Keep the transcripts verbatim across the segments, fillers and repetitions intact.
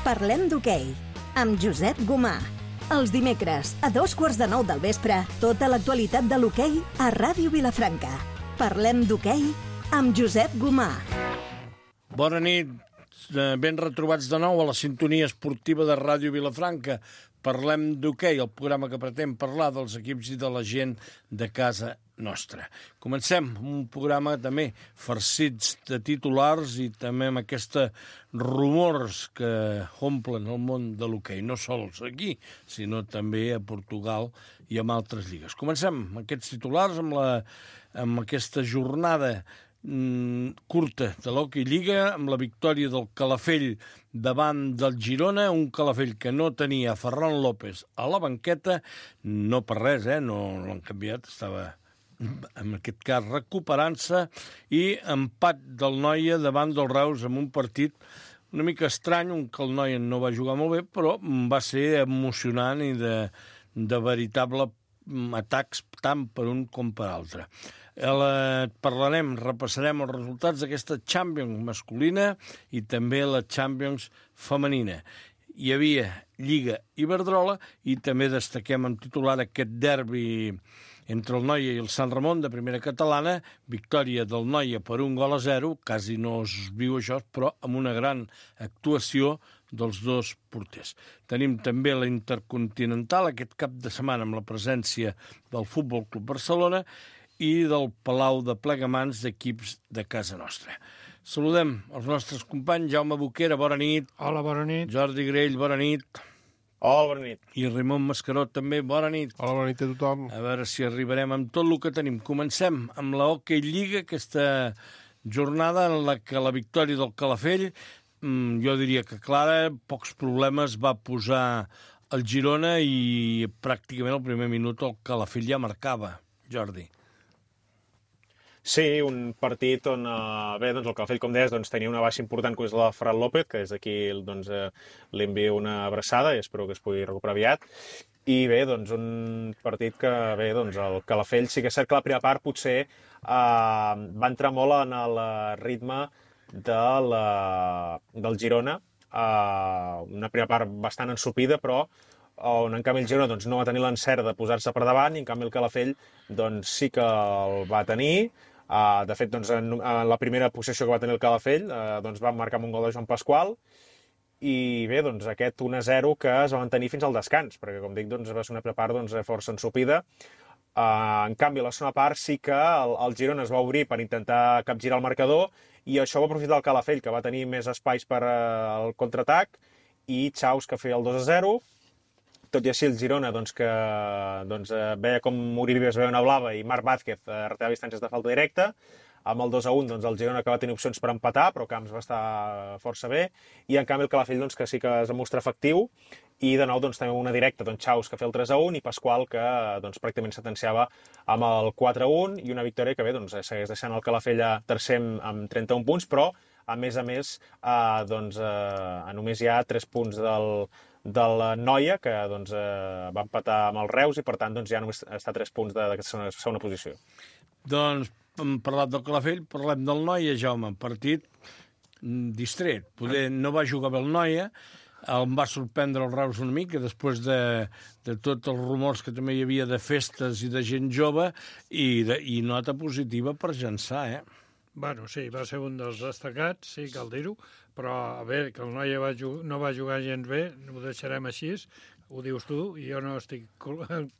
Parlem d'hoquei, amb Josep Gomà. Els dimecres, a dos quarts de nou del vespre, tota l'actualitat de l'hoquei a Ràdio Vilafranca. Parlem d'hoquei amb Josep Gomà. Bona nit, ben retrobats de nou a la sintonia esportiva de Ràdio Vilafranca. Parlem d'hoquei, el programa que pretén parlar dels equips i de la gent de casa nostra. Comencem un programa també farcits de titulars i també amb aquests rumors que omplen el món de l'hoquei, no sols aquí, sinó també a Portugal i en altres lligues. Comencem amb aquests titulars, amb, la, amb aquesta jornada mm, curta de l'Hockey Lliga, amb la victòria del Calafell davant del Girona, un Calafell que no tenia Ferran López a la banqueta, no per res, eh? no, no l'han canviat, estava en aquest cas recuperant-se, i empat del Noia davant del Reus amb un partit una mica estrany, on que el Noia no va jugar molt bé, però va ser emocionant i de, de veritable atacs tant per un com per altre. La, parlarem, repassarem els resultats d'aquesta Champions masculina i també la Champions femenina. Hi havia Lliga Iberdrola i també destaquem en titular aquest derbi entre el Noia i el Sant Ramon de primera catalana, victòria del Noia per un gol a zero, quasi no es viu això, però amb una gran actuació dels dos porters. Tenim també la Intercontinental aquest cap de setmana amb la presència del Futbol Club Barcelona i del Palau de Plegamans d'equips de casa nostra. Saludem els nostres companys. Jaume Boquera, bona nit. Hola, bona nit. Jordi Grell, bona nit. Hola, bona nit. I Ramon Mascaró també, bona nit. Hola, bona nit a tothom. A veure si arribarem amb tot el que tenim. Comencem amb la Hockey Lliga, aquesta jornada en la que la victòria del Calafell, jo diria que clara, pocs problemes va posar el Girona i pràcticament al primer minut el Calafell ja marcava. Jordi. Sí, un partit on, eh, bé, doncs el Calafell, com deies, doncs, tenia una baixa important, que és la de Ferran López, que des d'aquí doncs, eh, li envio una abraçada i espero que es pugui recuperar aviat. I bé, doncs, un partit que, bé, doncs, el Calafell sí que és cert que la primera part potser eh, va entrar molt en el ritme de la, del Girona, eh, una primera part bastant ensopida, però on en canvi el Girona doncs, no va tenir l'encert de posar-se per davant, i en canvi el Calafell doncs, sí que el va tenir. Uh, de fet, doncs, en, en la primera possessió que va tenir el Calafell uh, doncs, va marcar amb un gol de Joan Pasqual, i bé, doncs, aquest un a zero que es va mantenir fins al descans, perquè, com dic, doncs, va ser una primera part doncs, força ensopida. Uh, en canvi, a la segona part sí que el, el Girona es va obrir per intentar capgirar el marcador, i això va aprofitar el Calafell, que va tenir més espais per uh, el contraatac, i Chaus, que feia el dos a zero. Tot i així, el Girona, doncs, que doncs, veia com Uribe es veia una blava i Marc Vázquez eh, retava distàncies de falta directa. Amb el dos a un, doncs, el Girona que va tenir opcions per empatar, però Camps va estar força bé. I, en canvi, el Calafell, doncs, que sí que es va mostrar efectiu. I, de nou, doncs, també una directa, doncs, Chaus, que feia el tres a un, i Pasqual, que doncs, pràcticament sentenciava amb el quatre a un, i una victòria que, bé, doncs, segueix deixant el Calafell a tercer amb trenta-un punts, però, a més a més, eh, doncs, eh, només hi ha tres punts del del Noia, que doncs, eh, va empatar amb el Reus, i per tant doncs, ja només està a tres punts d'aquesta segona, segona posició. Doncs hem parlat del Calafell, parlem del Noia, Jaume, partit distret. Poder no va jugar bé el Noia, em va sorprendre el Reus una mica, després de, de tots els rumors que també hi havia de festes i de gent jove, i, de, i nota positiva per Jansà, eh? Bueno, sí, va ser un dels destacats, sí, cal dir-ho, però a veure, que el Noia va no va jugar gens bé, ho deixarem així, ho dius tu, i jo no estic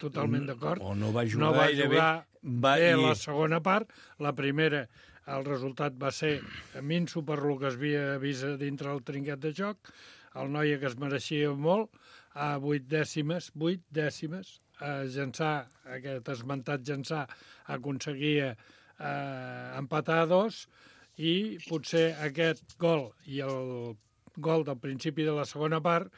totalment d'acord. O no va jugar, no va gaire jugar bé, va, bé i... la segona part, la primera, el resultat va ser minso per lo que es havia vist dintre el trinquet de joc, el Noia que es mereixia molt, a vuit dècimes, vuit dècimes, a Jansà, aquest esmentat Jansà, aconseguia eh, empatar a dos, i potser aquest gol i el gol del principi de la segona part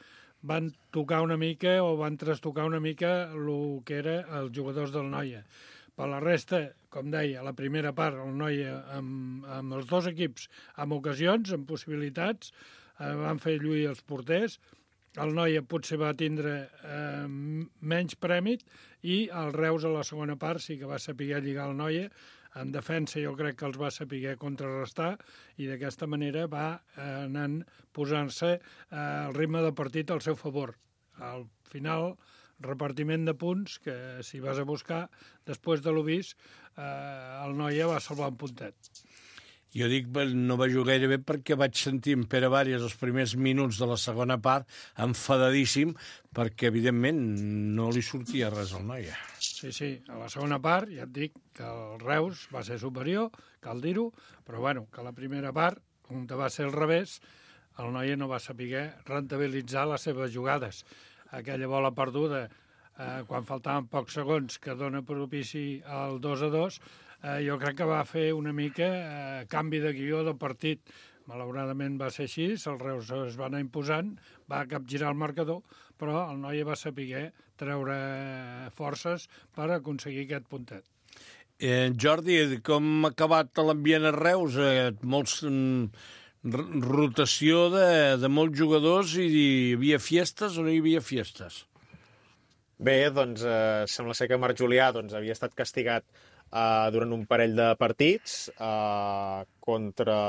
van tocar una mica o van trastocar una mica el que era els jugadors del Noia. Per la resta, com deia, la primera part, el Noia amb, amb els dos equips amb ocasions, amb possibilitats, eh, van fer lluir els porters. El Noia potser va tindre eh, menys prèmit, i el Reus a la segona part sí que va saber lligar el Noia En defensa jo crec que els va saber contrarrestar i d'aquesta manera va anant posant-se el ritme de partit al seu favor. Al final, repartiment de punts, que si vas a buscar, després de l'ho vist, eh, el Noia va salvar un puntet. Jo dic, no va jugar gaire bé perquè vaig sentir en Pere Vàries els primers minuts de la segona part enfadadíssim perquè, evidentment, no li sortia res al Noia. Sí, sí, a la segona part ja et dic que el Reus va ser superior, cal dir-ho, però bueno, que la primera part, on va ser al revés, el Noia no va saber rentabilitzar les seves jugades. Aquella bola perduda, eh, quan faltaven pocs segons, que dona propici al dos a dos, eh, jo crec que va fer una mica eh, canvi de guió de partit. Malauradament va ser així, el Reus es va anar imposant, va capgirar el marcador, però el Noia va saber treure forces per aconseguir aquest puntet. Eh, Jordi, com ha acabat l'ambient a Reus? Eh, molts... Mm, rotació de, de molts jugadors i hi havia fiestes o no hi havia fiestes? Bé, doncs eh, sembla ser que Marc Julià doncs, havia estat castigat eh, durant un parell de partits eh, contra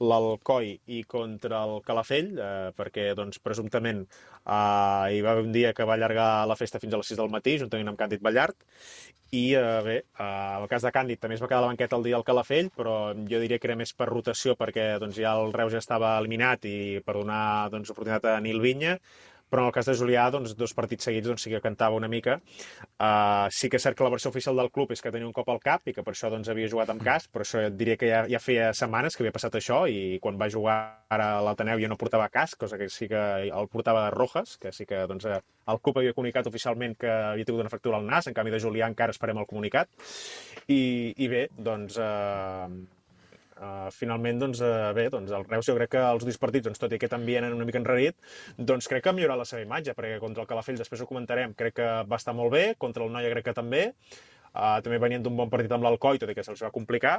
l'Alcoi i contra el Calafell, eh, perquè doncs, presumptament eh, hi va haver un dia que va allargar la festa fins a les sis del matí, juntament amb Càndid Ballart. I eh, bé, eh, en el cas de Càndid també es va quedar a la banqueta el dia al Calafell, però jo diria que era més per rotació perquè doncs, ja el Reus ja estava eliminat i per donar doncs, oportunitat a Nil Vinya, però en el cas de Julià, doncs, dos partits seguits doncs, sí que cantava una mica. Uh, sí que és cert que la versió oficial del club és que tenia un cop al cap i que per això doncs, havia jugat amb casc, però això diria que ja, ja feia setmanes que havia passat això i quan va jugar ara a l'Ateneu ja no portava casc, cosa que sí que el portava de Rojas, que sí que doncs, el club havia comunicat oficialment que havia tingut una fractura al nas, en canvi de Julià encara esperem el comunicat. I, i bé, doncs... Uh, Uh, finalment, doncs, uh, bé, doncs el Reus jo crec que els dos partits, doncs, tot i aquest ambient una mica enrarit, doncs crec que ha millorat la seva imatge, perquè contra el Calafell, després ho comentarem, crec que va estar molt bé, contra el Noia crec que també, uh, també venien d'un bon partit amb l'Alcoi, tot i que se'ls va complicar,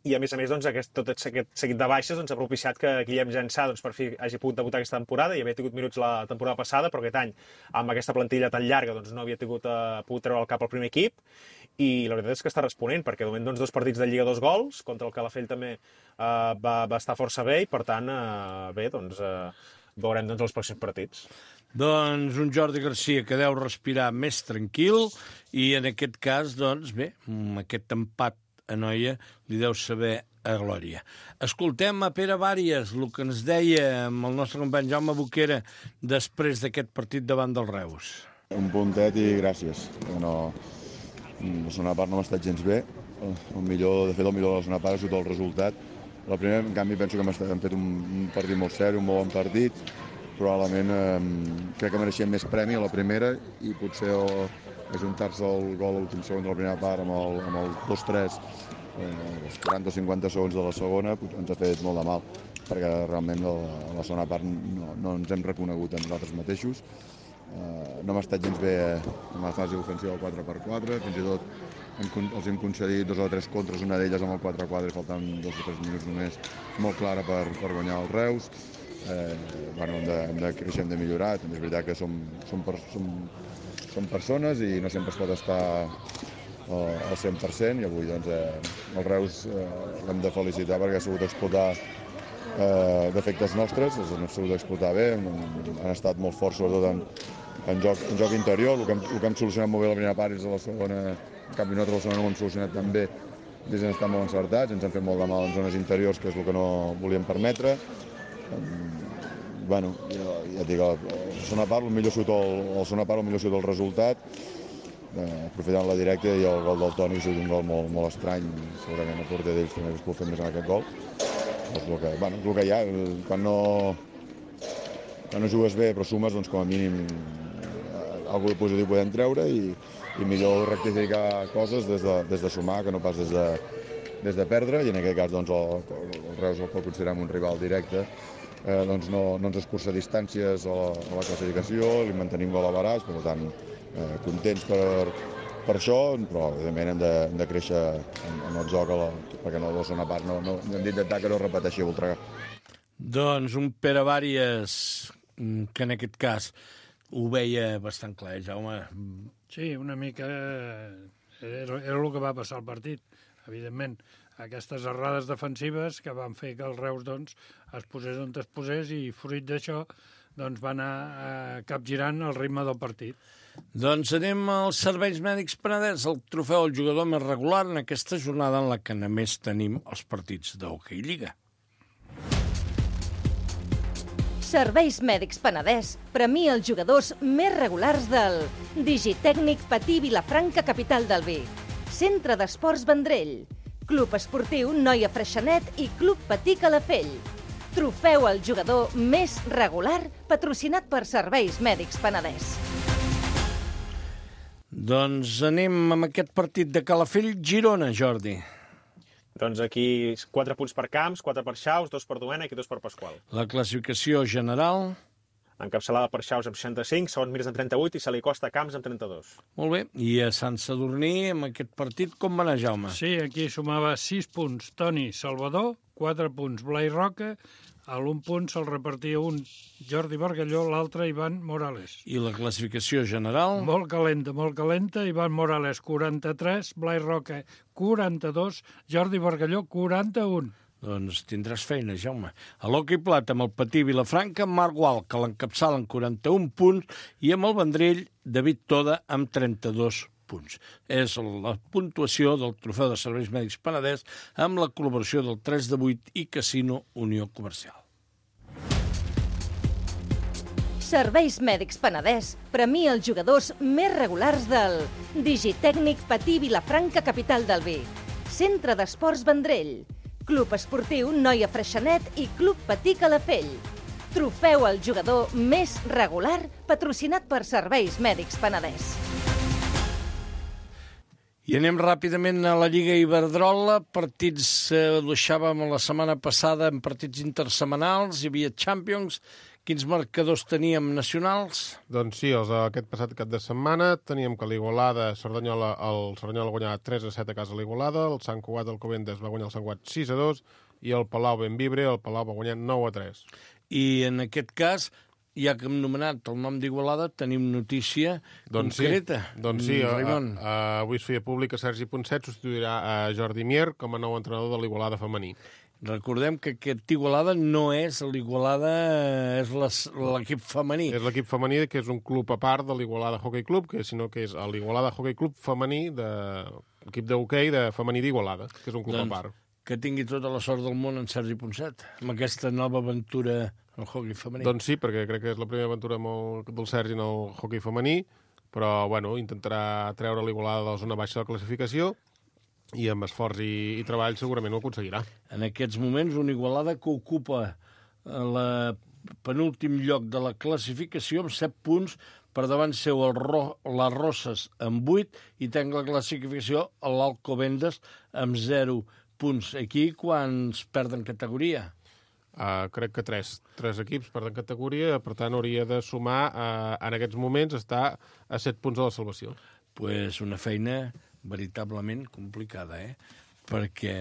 i a més a més, doncs, aquest, tot aquest seguit de baixes doncs, ha propiciat que Guillem Jansà doncs, per fi hagi pogut debutar aquesta temporada i havia tingut minuts la temporada passada, però aquest any, amb aquesta plantilla tan llarga, doncs, no havia tingut, uh, pogut treure el cap al primer equip, i la veritat és que està responent, perquè de moment doncs, dos partits de Lliga, dos gols, contra el Calafell també uh, va, va estar força bé, i per tant, uh, bé, doncs, uh, veurem doncs, els pròxims partits. Doncs un Jordi Garcia que deu respirar més tranquil, i en aquest cas, doncs, bé, aquest empat a Noia li deu saber a glòria. Escoltem a Pere Vàries, el que ens deia amb el nostre company Jaume Boquera després d'aquest partit davant del Reus. Un puntet i gràcies. No, la segona part no m'ha estat gens bé. El millor, de fet, el millor de la segona part ha sigut el resultat. La primera, en canvi, penso que hem fet un partit molt seri, un molt bon partit. Probablement eh, crec que mereixem més premi a la primera i potser el, ajuntar-se el gol a l'últim segon de la primera part amb el, amb el dos tres, eh, els quaranta o cinquanta segons de la segona, ens ha fet molt de mal, perquè realment a la, a la segona part no, no ens hem reconegut a nosaltres mateixos. Eh, no hem estat gens bé en la fase ofensiva del quatre per quatre, fins i tot hem, els hem concedit dos o tres contres, una d'elles amb el quatre quatre, faltant dos o tres minuts només, molt clara per, per guanyar el Reus. Eh, bueno, hem de, hem de créixer, hem de millorar, també és veritat que som, som, per, som, som persones i no sempre es pot estar uh, al cent per cent, i avui doncs, eh, el Reus eh, l'hem de felicitar perquè ha sabut explotar eh, defectes nostres, els han sabut explotar bé, han, han estat molt forts sobretot en, en, joc, en joc interior, el que, hem, el que hem solucionat molt bé la primera part és a la segona, en canvi nosaltres a la segona no ho hem solucionat tan bé, des han estat molt encertats, ens han fet molt de mal en zones interiors, que és el que no volíem permetre. Bueno, ja, ja dic, la segona part, el millor surt el, el segona part, el millor surt el resultat, eh, aprofitant la directa, i el gol del Toni ha sigut un gol molt, molt estrany, segurament el porter d'ells també es pot fer més en aquest gol. És el que, bueno, és el que hi ha, quan no, quan no jugues bé però sumes, doncs com a mínim eh, alguna de positiu podem treure, i, i millor rectificar coses des de, des de sumar que no pas des de, des de perdre, i en aquest cas doncs, el, el Reus el pot considerar un rival directe. Eh, doncs no, no ens escurça distàncies a la, a la classificació, li mantenim gol a baràs, per tant, eh, contents per, per això, però evidentment hem de, hem de créixer en, en el joc, a la, perquè no, la segona part no, no, hem d'intentar que no repeteixi a Voltregà. Doncs un Pere Vàries, que en aquest cas ho veia bastant clar, Jaume. Sí, una mica era, era el que va passar al partit. evidentment, aquestes errades defensives que van fer que el Reus doncs, es posés on es posés i fruit d'això doncs, va anar eh, capgirant el ritme del partit. Doncs anem als serveis mèdics Penedès, el trofeu al jugador més regular en aquesta jornada en la que només tenim els partits d'Hockey Lliga. Serveis Mèdics Penedès premia els jugadors més regulars del Digitècnic Patí Vilafranca, capital del vi, Centre d'Esports Vendrell, Club Esportiu Noia Freixenet i Club Patí Calafell. Trofeu al jugador més regular patrocinat per Serveis Mèdics Penedès. Doncs anem amb aquest partit de Calafell-Girona, Jordi. Doncs aquí quatre punts per Camps, quatre per Xaus, dos per Domènec i dos per Pasqual. La classificació general... Encapçalada per Xaus amb seixanta-cinc, segon Mirs amb trenta-vuit i se li costa Camps amb trenta-dos. Molt bé. I a Sant Sadurní, amb aquest partit, com va anar, Jaume? Sí, aquí sumava sis punts Toni Salvador, quatre punts Blai Roca, a l'un punt se'l repartia un Jordi Bargalló, l'altre Ivan Morales. I la classificació general? Molt calenta, molt calenta. Ivan Morales, quaranta-tres, Blai Roca, quaranta-dos, Jordi Bargalló, quaranta-un. Doncs tindràs feina, Jaume. A l'Hockey Plata, amb el Patí Vilafranca, Marc Gual, que l'encapçala amb quaranta-un punts, i amb el Vendrell, David Toda, amb trenta-dos punts. És la puntuació del trofeu de Serveis Mèdics Penedès amb la col·laboració del tres de vuit i Casino Unió Comercial. Serveis Mèdics Penedès premia els jugadors més regulars del Digitècnic Patí Vilafranca, capital del vi, Centre d'Esports Vendrell, Club Esportiu Noia Freixenet i Club Patí Calafell. Trofeu al jugador més regular patrocinat per Serveis Mèdics Penedès. I anem ràpidament a la Lliga Iberdrola. Partits, eh, ho deixàvem la setmana passada en partits intersetmanals, hi havia Champions. Quins marcadors teníem nacionals? Doncs sí, els aquest passat cap de setmana teníem que l'Igualada, Cerdanyola, el Cerdanyola guanyava tres a set a casa a l'Igualada, el Sant Cugat, el Covendes va guanyar el Sant Cugat sis a dos i el Palau Benvibre, el Palau va guanyar nou a tres. I en aquest cas, ja que hem nomenat el nom d'Igualada, tenim notícia doncs concreta. Sí, doncs sí, a, Raimon. a, a, avui es feia públic que Sergi Ponset substituirà a Jordi Mier com a nou entrenador de l'Igualada femení. Recordem que aquest Igualada no és l'Igualada, és l'equip femení. És l'equip femení, que és un club a part de l'Igualada Hockey Club, que sinó que és l'Igualada Hockey Club femení, de l'equip d'hoquei de femení d'Igualada, que és un club doncs, a part. Que tingui tota la sort del món en Sergi Ponset, amb aquesta nova aventura al hockey femení. Doncs sí, perquè crec que és la primera aventura molt del Sergi en el hockey femení, però bueno, intentarà treure l'Igualada de la zona baixa de la classificació, i amb esforç i, i treball segurament ho aconseguirà. En aquests moments, una Igualada que ocupa la penúltim lloc de la classificació amb set punts, per davant seu el Ro, les Roses amb vuit i tenc la classificació a l'Alcobendas amb zero punts. Aquí quants perden categoria? Uh, crec que tres, tres equips perden categoria, per tant hauria de sumar, uh, en aquests moments, està a set punts de la salvació. Pues una feina veritablement complicada, eh? Perquè,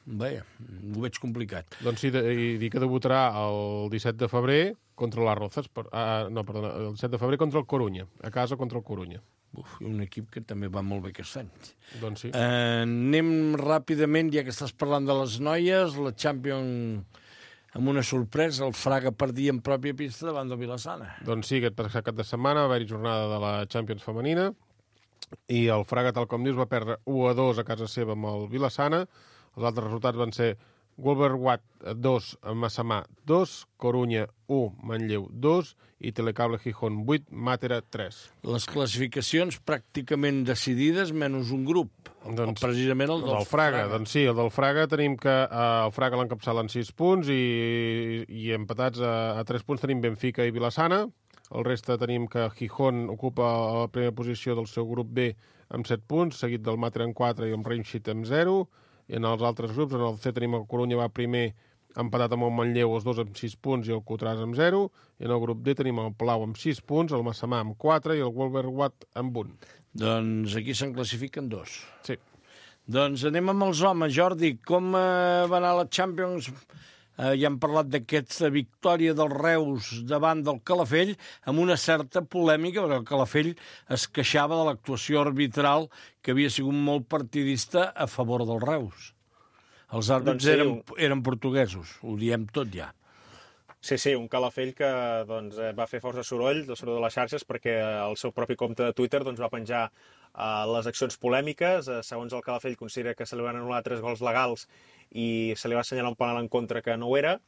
bé, ho veig complicat. Doncs sí, de, i dir que debutarà el disset de febrer contra les Rozas, per, uh, no, perdona, el disset de febrer contra el Corunya, a casa contra el Corunya. Uf, un equip que també va molt bé aquest any. Doncs sí. Uh, anem ràpidament, ja que estàs parlant de les noies, la Champions amb una sorpresa, el Fraga perdia en pròpia pista davant del Vilassana. Doncs sí, aquest passat cap de setmana va haver-hi jornada de la Champions femenina, i el Fraga, tal com dius, va perdre u a dos a casa seva amb el Vilassana. Els altres resultats van ser Wolverwatt dos, Massamà dos, Corunya u, Manlleu dos i Telecable Gijón vuit, Màtera tres. Les classificacions pràcticament decidides, menys un grup. Doncs, precisament el del, del Fraga. Fraga. Doncs sí, el del Fraga tenim que eh, el Fraga l'encapçala en sis punts i, i empatats a, a tres punts tenim Benfica i Vilassana. El reste tenim que Gijón ocupa la primera posició del seu grup B amb set punts, seguit del Màtera en quatre i el Reinschit amb zero. I en els altres grups, en el C tenim el Corunya va primer empatat amb el Manlleu, els dos amb sis punts i el Cotràs amb zero. I en el grup D tenim el Palau amb sis punts, el Massamà amb quatre i el Wolverwatt amb un. Doncs aquí se'n classifiquen dos. Sí. Doncs anem amb els homes, Jordi. Com eh, va anar la Champions eh, ja hem parlat d'aquesta victòria del Reus davant del Calafell, amb una certa polèmica, perquè el Calafell es queixava de l'actuació arbitral que havia sigut molt partidista a favor del Reus. Els àrbits doncs sí, eren, eren portuguesos, ho diem tot ja. Sí, sí, un Calafell que doncs, va fer força soroll, el soroll de les xarxes, perquè el seu propi compte de Twitter doncs, va penjar uh, les accions polèmiques. Uh, segons el Calafell, considera que se li van anul·lar tres gols legals i se li va assenyalar un penal en contra que no ho era.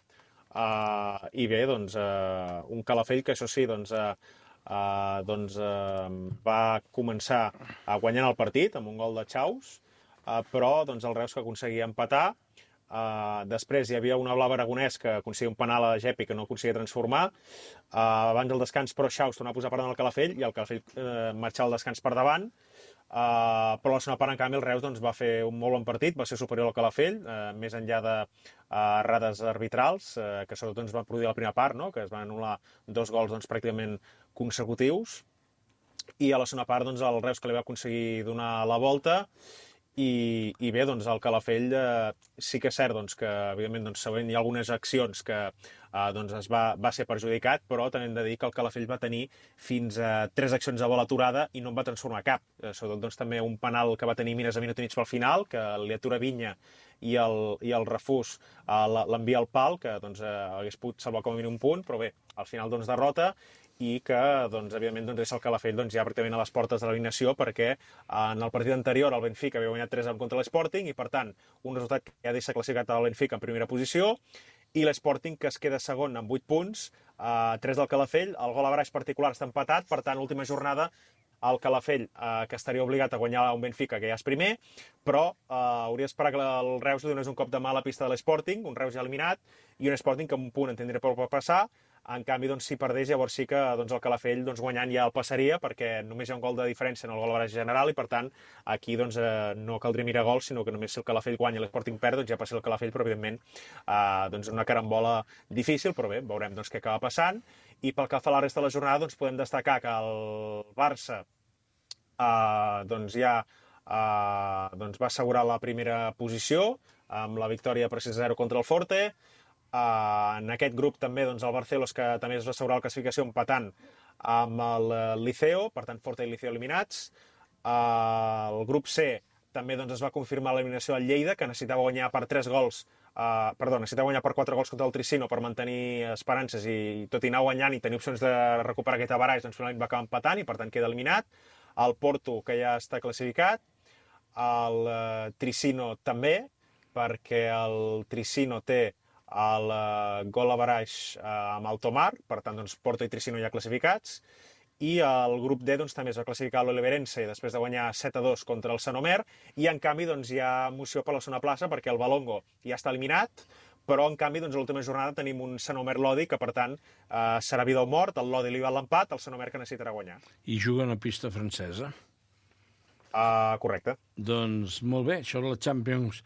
Uh, I bé, doncs, uh, un Calafell que, això sí, doncs, uh, uh, doncs, uh, va començar uh, guanyant el partit amb un gol de Chaus, uh, però doncs, el Reus que aconseguia empatar. Uh, després hi havia una Blava Aragonès que aconseguia un penal a Gepi que no aconseguia transformar. Uh, abans del descans, però, Chaus tornava a posar per davant el Calafell i el Calafell uh, marxava al descans per davant. Uh, però a la segona part, en canvi, el Reus doncs, va fer un molt bon partit, va ser superior al Calafell, uh, més enllà de uh, errades arbitrals, uh, que sobretot ens van produir a la primera part, no? Que es van anul·lar dos gols doncs, pràcticament consecutius. I a la segona part, doncs, el Reus que li va aconseguir donar la volta. I, i bé, doncs el Calafell eh, sí que és cert doncs, que evidentment doncs, segurament hi ha algunes accions que eh, doncs, es va, va ser perjudicat, però també hem de dir que el Calafell va tenir fins a tres accions de bola aturada i no en va transformar cap. Eh, sobretot doncs, també un penal que va tenir Mines a minut i mig pel final, que li atura Vinya i el, i el refús eh, l'envia al pal, que doncs, eh, hagués pogut salvar com a mínim un punt, però bé, al final doncs, derrota, i que, doncs, evidentment, doncs, és el Calafell doncs, ja pràcticament a les portes de l'eliminació perquè en el partit anterior el Benfica havia guanyat tres a un contra l'Sporting i, per tant, un resultat que ja deixa classificat el Benfica en primera posició i l'Sporting que es queda segon amb vuit punts, eh, tres del Calafell, el gol a baraix particular està empatat, per tant, l'última jornada el Calafell, eh, que estaria obligat a guanyar un Benfica, que ja és primer, però eh, hauria d'esperar que el Reus li donés un cop de mà a la pista de l'Sporting, un Reus ja eliminat, i un Sporting que amb un punt en tindria prou per passar. En canvi, doncs, si perdés, llavors sí que doncs, el Calafell doncs, guanyant ja el passaria, perquè només hi ha un gol de diferència en el gol a baraix general, i per tant, aquí doncs, eh, no caldria mirar gols, sinó que només si el Calafell guanya i l'Sporting perd, doncs ja passi el Calafell, però evidentment eh, doncs, una carambola difícil, però bé, veurem doncs, què acaba passant. I pel que fa a la resta de la jornada, doncs, podem destacar que el Barça eh, doncs, ja eh, doncs, va assegurar la primera posició amb la victòria per sis a zero contra el Forte. Uh, en aquest grup també doncs, el Barcelos, que també es va assegurar la classificació empatant amb el Liceo, per tant Forte i Liceo eliminats. Uh, el grup C també doncs, es va confirmar l'eliminació del Lleida, que necessitava guanyar per tres gols, uh, perdó, necessitava guanyar per quatre gols contra el Tricino per mantenir esperances i tot i anar guanyant i tenir opcions de recuperar aquest avaraix, doncs finalment va acabar empatant i per tant queda eliminat. El Porto, que ja està classificat, el uh, Tricino també, perquè el Tricino té el uh, gol a baraix uh, amb el Tomar, per tant, doncs, Porto i Tricino ja classificats, i el grup D doncs, també es va classificar l'Oliverense després de guanyar set a dos contra el Sant Omer, i en canvi doncs, hi ha emoció per la segona plaça perquè el Balongo ja està eliminat, però en canvi doncs, a l'última jornada tenim un Sant Omer-Lodi que per tant uh, serà vida o mort, el Lodi li va l'empat, el Sant Omer que necessitarà guanyar. I juga a pista francesa. Uh, correcte. Doncs molt bé, això de la Champions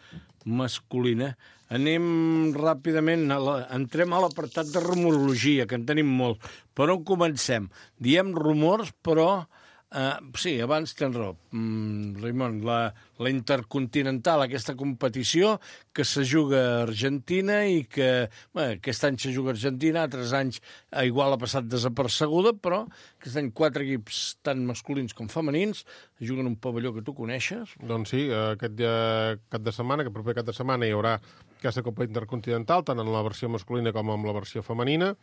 masculina. Anem ràpidament, a la, entrem a l'apartat de rumorologia, que en tenim molt. Per on comencem? Diem rumors, però... Uh, sí, abans tens raó, mm, Raimon, la, la Intercontinental, aquesta competició que se juga a Argentina i que bé, aquest any se juga a Argentina, altres anys a igual ha passat desapercebuda, però aquest any quatre equips tant masculins com femenins juguen un pavelló que tu coneixes. Doncs sí, aquest cap de setmana, aquest proper cap de setmana hi haurà aquesta Copa Intercontinental, tant en la versió masculina com en la versió femenina,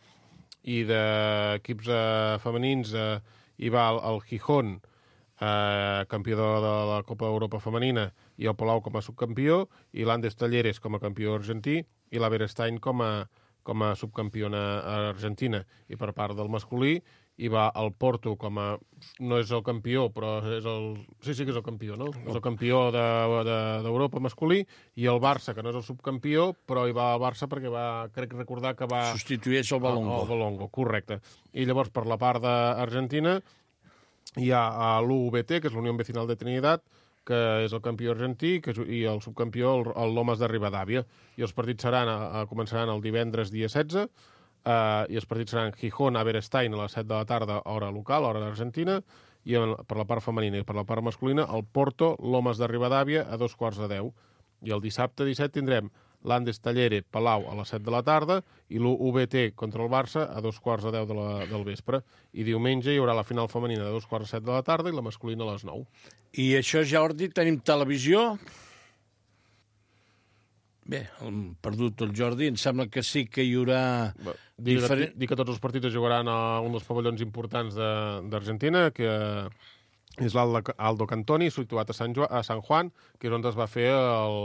i d'equips eh, femenins eh, hi va el, el Gijón, eh, campió de, de la Copa d'Europa femenina, i el Palau com a subcampió, i l'Andes Talleres com a campió argentí, i la Berestein com a, com a subcampiona argentina. I per part del masculí hi va el Porto com a... no és el campió, però és el... sí, sí que és el campió, no? És el campió d'Europa de, de, masculí, i el Barça, que no és el subcampió, però hi va el Barça perquè va, crec recordar que va... substitueix el Balongo. El Balongo, correcte. I llavors, per la part d'Argentina, hi ha l'U V T, que és l'Unió Vecinal de Trinidad, que és el campió argentí, que és, i el subcampió, el, el Lomas de Rivadavia. I els partits seran, a, començaran el divendres dia setze, Uh, i els partits seran Gijón a Berestein a les set de la tarda, hora local, hora d'Argentina, i per la part femenina i per la part masculina el Porto, Lomas de Rivadavia a dos quarts de deu. I el dissabte disset tindrem l'Andes Tallere Palau a les set de la tarda i l'U B T contra el Barça a dos quarts de deu de la, del vespre. I diumenge hi haurà la final femenina de dos quarts de set de la tarda i la masculina a les nou. I això, Jordi, tenim televisió? Bé, hem perdut el Jordi, em sembla que sí que hi haurà... Dir, diferent... dir que tots els partits es jugaran a un dels pavellons importants d'Argentina, que és l'Aldo Cantoni, situat a Sant, jo a Sant Juan, que és on es va fer el,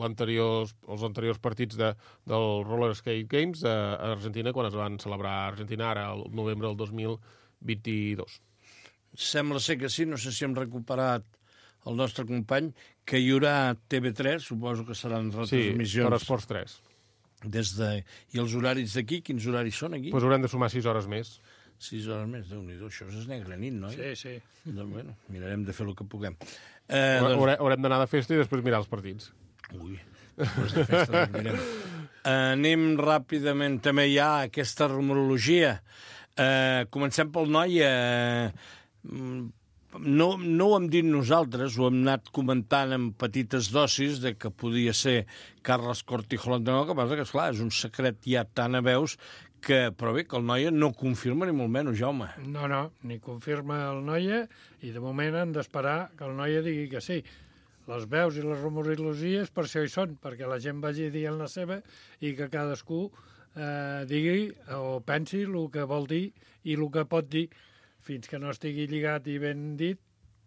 anteriors, els anteriors partits de, del Roller Skate Games a Argentina, quan es van celebrar a Argentina, ara, el novembre del dos mil vint-i-dos. Sembla ser que sí, no sé si hem recuperat el nostre company, que hi haurà T V tres, suposo que seran retransmissions. Sí, per Esports tres. Des de... I els horaris d'aquí, quins horaris són aquí? Doncs pues haurem de sumar sis hores més. Sis hores més, Déu-n'hi-do, això és negra nit, no? Sí, sí. Doncs, bueno, mirarem de fer el que puguem. Eh, doncs... Haurem d'anar de festa i després mirar els partits. Ui, després de festa doncs mirem. Anem ràpidament també ja a aquesta rumorologia. Eh, comencem pel noi. Eh, no, no ho hem dit nosaltres, ho hem anat comentant en petites dosis de que podia ser Carles Cortijo l'entrenador, que passa que, esclar, és un secret ja tan a veus que, però bé, que el Noia no confirma ni molt menys, Jaume. No, no, ni confirma el Noia i de moment han d'esperar que el Noia digui que sí. Les veus i les rumorologies per això hi són, perquè la gent vagi dient la seva i que cadascú eh, digui o pensi el que vol dir i el que pot dir, fins que no estigui lligat i ben dit,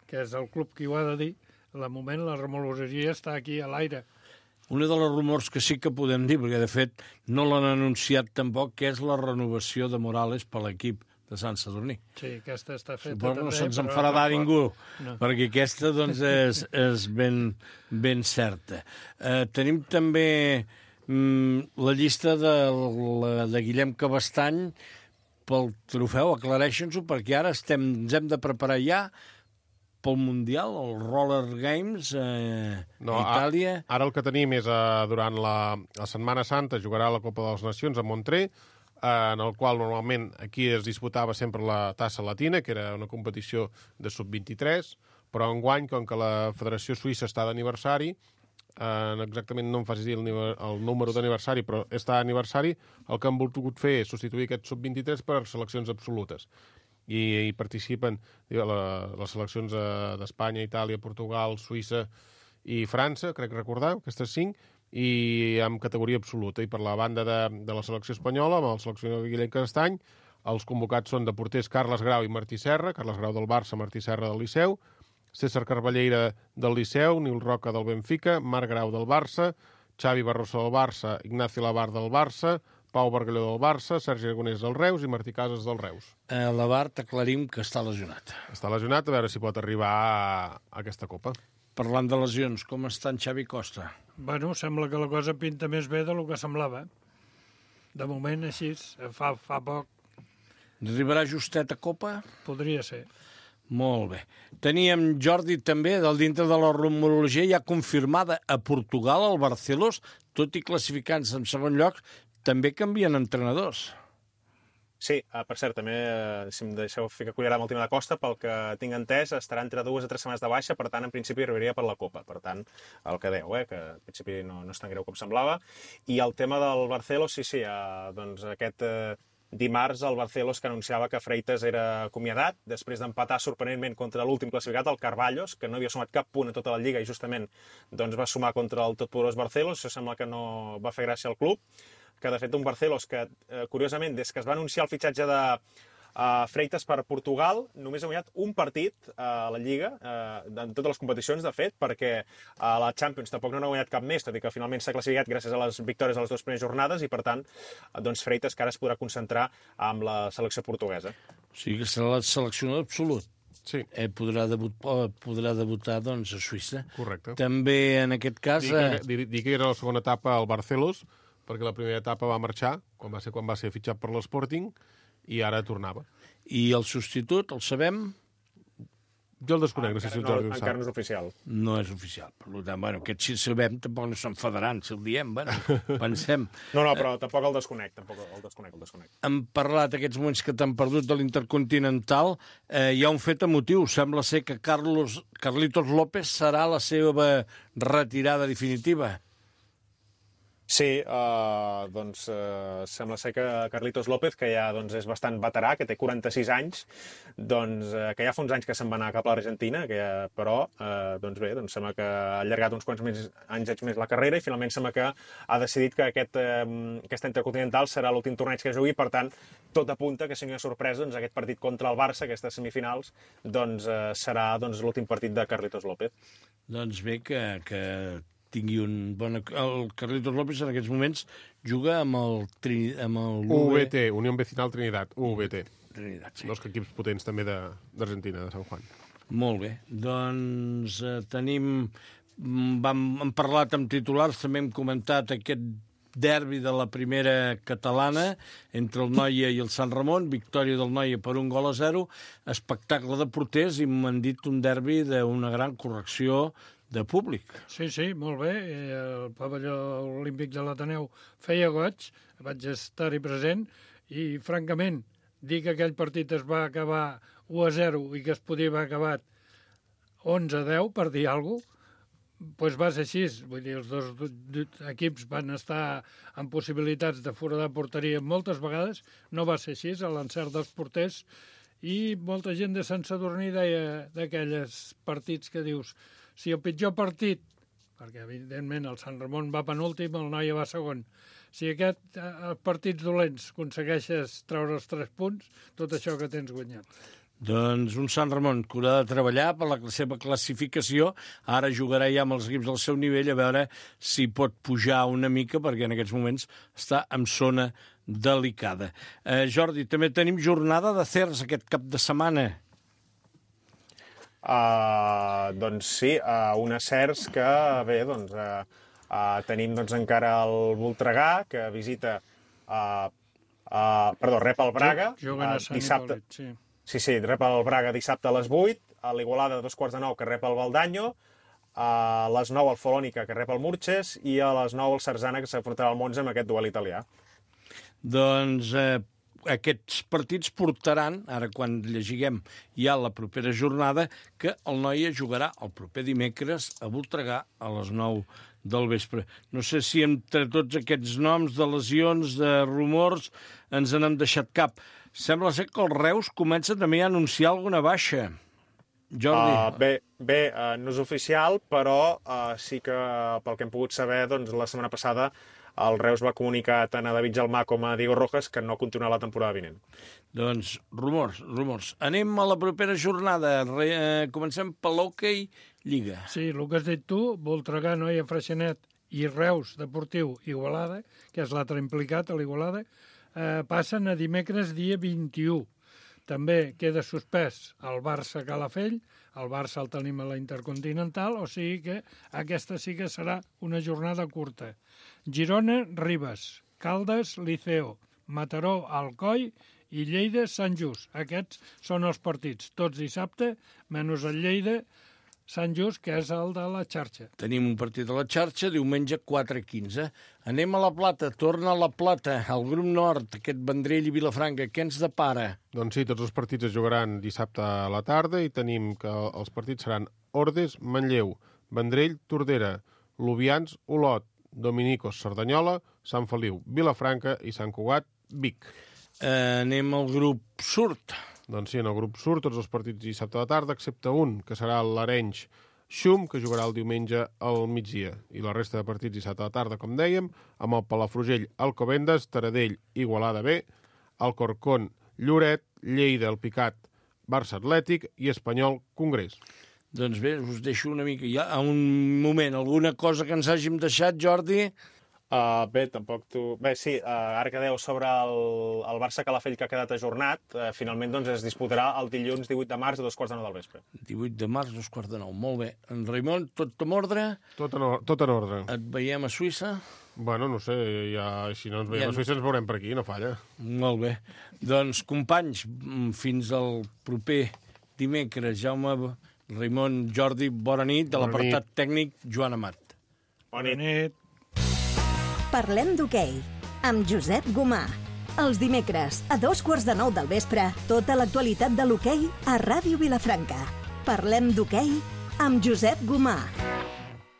que és el club qui ho ha de dir. De moment la rumorologia està aquí a l'aire. Una de les rumors que sí que podem dir, perquè de fet no l'han anunciat tampoc, que és la renovació de Morales per l'equip de Sant Sadurní. Sí, aquesta està feta. Suposo que no també, se'ns però enfadarà no, ningú, no. perquè aquesta doncs, és, és ben, ben certa. Eh, tenim també mm, la llista de, la, de Guillem Cabestany pel trofeu. Aclareixen-s'ho, perquè ara estem, ens hem de preparar ja pel Mundial, el Roller Games eh, no, a Itàlia. A, ara el que tenim és, eh, durant la, la Setmana Santa, jugarà la Copa de les Nacions a Montré, eh, en el qual normalment aquí es disputava sempre la tassa latina, que era una competició de sub vint-i-tres, però enguany, com que la Federació Suïssa està d'aniversari, eh, exactament no em facis dir el, el número d'aniversari, però està d'aniversari, el que han volgut fer és substituir aquest sub vint-i-tres per seleccions absolutes. I hi participen la, les seleccions d'Espanya, Itàlia, Portugal, Suïssa i França, crec recordar, aquestes cinc, i amb categoria absoluta. I per la banda de, de la selecció espanyola, amb el seleccionador Guillem Cabestany, els convocats són de porters Carles Grau i Martí Serra, Carles Grau del Barça, Martí Serra del Liceu, César Carballeira del Liceu, Nil Roca del Benfica, Marc Grau del Barça, Xavi Barroso del Barça, Ignacio Labar del Barça, Pau Bargalló del Barça, Sergi Aragonès del Reus i Martí Casas del Reus. Eh, Labart, aclarim que està lesionat. Està lesionat, a veure si pot arribar a, a aquesta Copa. Parlant de lesions, com està en Xavi Costa? Bueno, sembla que la cosa pinta més bé del que semblava. De moment, així, fa, fa poc. Arribarà justet a Copa? Podria ser. Molt bé. Teníem Jordi també, del dintre de la rumorologia, ja confirmada a Portugal, el Barcelos, tot i classificant-se en segon lloc, també canvien entrenadors. Sí, uh, per cert, també, uh, si em deixeu ficar cullera amb el tema de Costa, pel que tinc entès, estarà entre dues a tres setmanes de baixa, per tant, en principi arribaria per la Copa. Per tant, el que deu, eh, que en principi no, no és tan greu com semblava. I el tema del Barcelos, sí, sí, uh, doncs aquest uh, dimarts el Barcelos que anunciava que Freitas era acomiadat, després d'empatar sorprenentment contra l'últim classificat, el Carvalhos, que no havia sumat cap punt a tota la Lliga i justament doncs, va sumar contra el totpoderós Barcelos. Això sembla que no va fer gràcia al club, que de fet un Barcelos que, eh, curiosament, des que es va anunciar el fitxatge de uh, Freitas per Portugal, només ha guanyat un partit uh, a la Lliga, uh, en totes les competicions, de fet, perquè a uh, la Champions tampoc no n'ha guanyat cap més, tot i que finalment s'ha classificat gràcies a les victòries a les dues primeres jornades, i per tant, uh, doncs Freitas que ara es podrà concentrar amb la selecció portuguesa. O sigui que serà la seleccionador absolut. Sí. Eh, podrà, debut, podrà debutar doncs, a Suïssa. Correcte. També, en aquest cas... Dic que, dic que era la segona etapa al Barcelos, perquè la primera etapa va marxar, quan va ser quan va ser fitxat per l'Sporting, i ara tornava. I el substitut, el sabem? Jo el desconec, no sé si el Jordi ho sap. Encara no és oficial. No és oficial. Per tant, bueno, aquest si el sabem tampoc no s'enfadaran, si el diem, bueno, pensem. No, no, però tampoc el desconec, tampoc el desconec, el desconec. Hem parlat aquests moments que t'han perdut de l'Intercontinental. Eh, hi ha un fet emotiu. Sembla ser que Carlos, Carlitos López serà la seva retirada definitiva. Sí, uh, doncs uh, sembla ser que Carlitos López, que ja doncs, és bastant veterà, que té quaranta-sis anys, doncs, uh, que ja fa uns anys que se'n va anar cap a l'Argentina, que ja, però uh, doncs bé, doncs sembla que ha allargat uns quants més, anys més la carrera i finalment sembla que ha decidit que aquest, uh, aquesta Intercontinental serà l'últim torneig que jugui, per tant, tot apunta que si no hi ha sorpresa, doncs, aquest partit contra el Barça, aquestes semifinals, doncs, uh, serà doncs, l'últim partit de Carlitos López. Doncs bé, que... que... tingui un bon... El Carlitos López en aquests moments juga amb el... Tri... amb el U V T, Unió Vecinal Trinidad, U V T. Trinidad, sí. Dos equips potents també d'Argentina, de, de San Juan. Molt bé. Doncs eh, tenim... Vam, hem parlat amb titulars, també hem comentat aquest derbi de la primera catalana entre el Noia i el Sant Ramon, victòria del Noia per un gol a zero, espectacle de porters i m'han dit un derbi d'una gran correcció de públic. Sí, sí, molt bé. El pavelló olímpic de l'Ateneu feia goig, vaig estar-hi present, i, francament, dir que aquell partit es va acabar u a zero i que es podia haver acabat onze a deu, per dir alguna cosa, doncs va ser així. Vull dir, els dos equips van estar en possibilitats de foradar porteria moltes vegades, no va ser així, a l'encert dels porters, i molta gent de Sant Sadurní deia d'aquells partits que dius, si el pitjor partit, perquè evidentment el Sant Ramon va penúltim, el Noia va segon, si aquest eh, partits dolents aconsegueixes treure els tres punts, tot això que tens guanyat. Doncs un Sant Ramon que haurà de treballar per la seva classificació, ara jugarà ja amb els equips del seu nivell a veure si pot pujar una mica, perquè en aquests moments està en zona delicada. Eh, Jordi, també tenim jornada de Cers aquest cap de setmana. Uh, doncs sí, uh, unes certs que, bé, doncs, uh, uh, tenim doncs, encara el Voltregà, que visita, uh, uh, perdó, rep el Braga, Juguen a Sant dissabte, Hipòlit, sí. Sí, sí, rep el Braga dissabte a les vuit, a l'Igualada a dos quarts de nou, que rep el Valdanyo, a les nou el Folònica, que rep el Murges, i a les nou el Sarzana, que s'afrontarà al Monza amb aquest duel italià. Doncs eh, aquests partits portaran, ara quan llegiguem ja la propera jornada, que el Noia jugarà el proper dimecres a Voltregà a les nou del vespre. No sé si entre tots aquests noms de lesions, de rumors, ens n'hem deixat cap. Sembla ser que el Reus comença també a anunciar alguna baixa. Jordi. Uh, bé, bé uh, no és oficial, però uh, sí que, pel que hem pogut saber, doncs, la setmana passada el Reus va comunicar tant a David Gelmà com a Diego Rojas que no continuarà la temporada vinent. Doncs rumors, rumors. Anem a la propera jornada. Re, eh, comencem per l'Hockey Lliga. Sí, el que has dit tu, Voltregà, Noia, Freixenet i Reus Deportiu Igualada, que és l'altre implicat a l'Igualada, eh, passen a dimecres dia vint-i-u. També queda suspès el Barça Calafell, el Barça el tenim a la Intercontinental, o sigui que aquesta sí que serà una jornada curta. Girona, Ribes, Caldes, Liceo, Mataró, Alcoi i Lleida, Sant Just. Aquests són els partits, tots dissabte, menys el Lleida, Sant Just, que és el de la xarxa. Tenim un partit a la xarxa, diumenge quatre quinze. Anem a la Plata, torna a la Plata, al grup nord, aquest Vendrell i Vilafranca. Què ens depara? Doncs sí, tots els partits es jugaran dissabte a la tarda i tenim que els partits seran Ordes, Manlleu, Vendrell, Tordera, Lubians, Olot, Dominicos, Cerdanyola, Sant Feliu, Vilafranca i Sant Cugat, Vic. Eh, anem al grup surt. Doncs sí, en el grup surt tots els partits dissabte a la tarda, excepte un, que serà l'Arenys Xum, que jugarà el diumenge al migdia. I la resta de partits dissabte a la tarda, com dèiem, amb el Palafrugell, Alcobendas, Taradell, Igualada B, Alcorcón, Lloret, Lleida, el Picat, Barça Atlètic i Espanyol Congrés. Doncs bé, us deixo una mica ja a un moment. Alguna cosa que ens hàgim deixat, Jordi? Uh, bé, tampoc tu... Bé, sí, uh, ara que deu sobre el, el Barça Calafell que ha quedat ajornat, uh, finalment doncs, es disputarà el dilluns divuit de març a dos quarts de nou del vespre. divuit de març, dos quarts de nou. Molt bé. En Raimon, tot en ordre? Tot en, tot en ordre. Et veiem a Suïssa? Bueno, no sé, ja, si no ens veiem ja... a Suïssa ens veurem per aquí, no falla. Molt bé. Doncs, companys, fins al proper dimecres. Jaume, Raimon, Jordi, bona nit. De l'apartat tècnic, Joan Amat. Bona nit. Bona nit. Parlem d'hoquei, amb Josep Gomà. Els dimecres, a dos quarts de nou del vespre, tota l'actualitat de l'hoquei a Ràdio Vilafranca. Parlem d'hoquei amb Josep Gomà.